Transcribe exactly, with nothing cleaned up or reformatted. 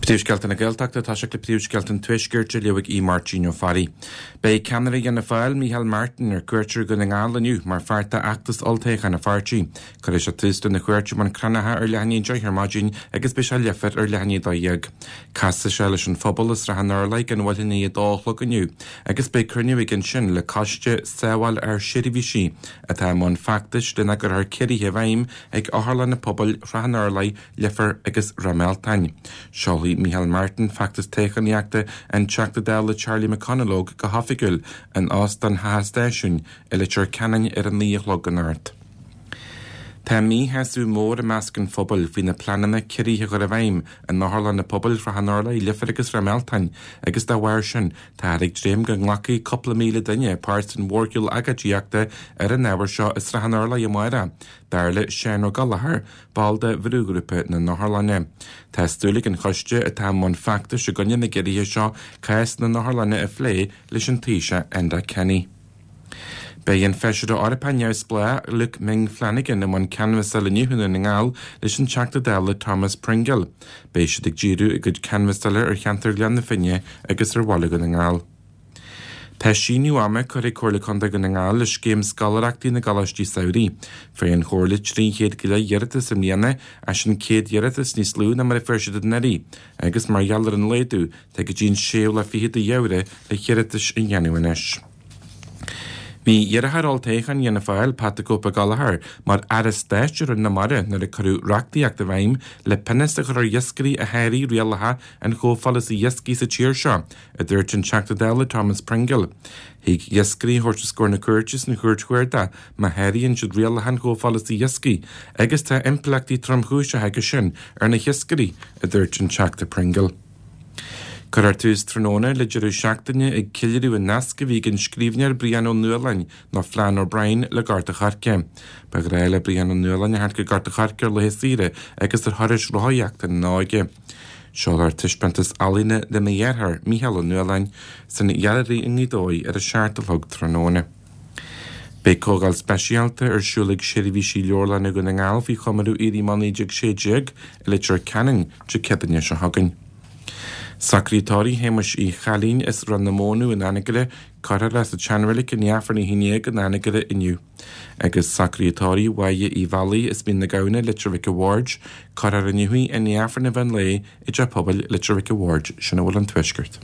Príomhscéalta na Gaeltachta tá sé le príomhscéalta an Tuaiscirt á léamh ag Máirtín Ó Fearraigh. Beidh ceannaire Fhianna Fáil Micheál Martin ar cuairt ar Dhún na nGall inniu mar pháirt d'fheachtas olltoghcháin an pháirtí. Cuirfidh sé tús lena chuairt i mBun Cranncha ar leath i ndiaidh a deich ar maidin agus beidh sé i Leifear ar leath i ndiaidh a dó dhéag. Casfaidh sé leis an phobal i Srath an Urláir gan mhoill i ndiaidh a dó a chlog inniu agus beidh cruinniú aige ansin le coiste Sábháil Ár Seirbhísí atá i mbun feachtais lena gcuirfear ciorruithe i bhfeidhm ag otharlanna pobail Shrath an Urláir, Leifear agus Ráth Mealtain. Seolfaidh Micheál Martin feachtas toghchánaíochta an Teachta Dála Charlie McConalogue go hoifigiúil in Óstán Theach an Stáisiúin i Leitir Ceanainn ar a naoi a chlog anocht. Tá míshásamh mór i measc an phobail faoi na pleananna ciorruithe a chur i bhfeidhm in otharlanna pobail Shrath an Urláir, Leifear agus Ráth Mealtain agus dá bharr sin táthar ag dréim go nglacfaidh cúpla míle duine páirt san mhórshiúl agóidíochta ar an ábhar seo i Srath an Urláir amárach, dar le Seán Ó Gallchóir, ball de bhrúghrúpa na n-otharlanna. Tá súil ag an choiste atá i mbun feachtais i gcoinne na gciorruithe seo cás na n-otharlanna a phlé leis an Taoiseach Enda Kenny. Beidh an feisire Eorpach neamhspleách Luke Ming Flanagan i mbun canbhasála inniu i nDún na nGall leis an Teachta Dála Thomas Pringle. Beidh siad ag díriú a gcuid canbhasála ar cheantar Ghleann na Finne agus ar Bhaile Dhún na nGall. Tá síneadh ama curtha ag Comhairle Contae Dhún na nGall le scéim scoláireachtaí na gColáistí Samhraidh. Fuair an Chomhairle trí chéad go leith iarratas i mbliana as sin céad iarratas níos lú ná mar a fuair siad anuraidh, agus mar gheall ar an laghdú tá go dtí an séú lá fichead de Fheabhra le hiarratais a dhéanamh anois. Bhí iarrthóir olltoghcháin Fhianna Fáil Pat the Cope Gallagher mar aire stáit i Roinn na Mara nuair a cuireadh reachtaíocht i bhfeidhm le pionós a chur ar iascairí a sháraigh rialacha an chomhpholasaí iascaigh sa tír seo, a dúirt an Teachta Dála Thomas Pringle. Thig iascairí a thabhairt os comhair na cúirte san chúirt chuarda má sháraíonn siad rialacha an chomhpholasaí iascaigh agus tá impleachtaí tromchúiseacha aige sin ar na hiascairí, a dúirt an Teachta Pringle. Cuirfear tús tráthnóna le deireadh seachtaine ag ceiliúradh an nasc a bhí ag an scríbhneoir Brian Ó Nualláin nó Flann O'Brien le Gort an Choirce. Ba ghnách le Brian Ó Nualláin a theacht go Gort an Choirce ar laethe saoire agus ar thurais rothaíochta ina óige. Seolfar taispeántas ealaíne lena dheartháir Mícheál Ó Nualláin san Ghailearaí i nGaoth Dobhair ar a seacht a chlog tráthnóna. Beidh comhdháil speisialta ar siúl ag seirbhísí leabharlainne Dhún na nGall faoi chomóradh Éirí Amach naoi déag sé déag i Leitir Ceanainn Dé Céadaoine seo chugainn. Socruithe tórraimh Shéamuis Uí Chailín as Ráth na Mónadh in Anagaire cuirfear é sa tseanreilig i ndiaidh Aifreann a haon déag in Anagaire inniu. Agus socruithe tórraimh Mháire Uí Bhealaigh as Mín na Gamhna Leitir Mhic a' Bhaird cuirfear inniu í i ndiaidh Aifreann an mheán lae i dTeach Pobail Leitir Mhic a' Bhaird sin a bhfuil an tuaisceart.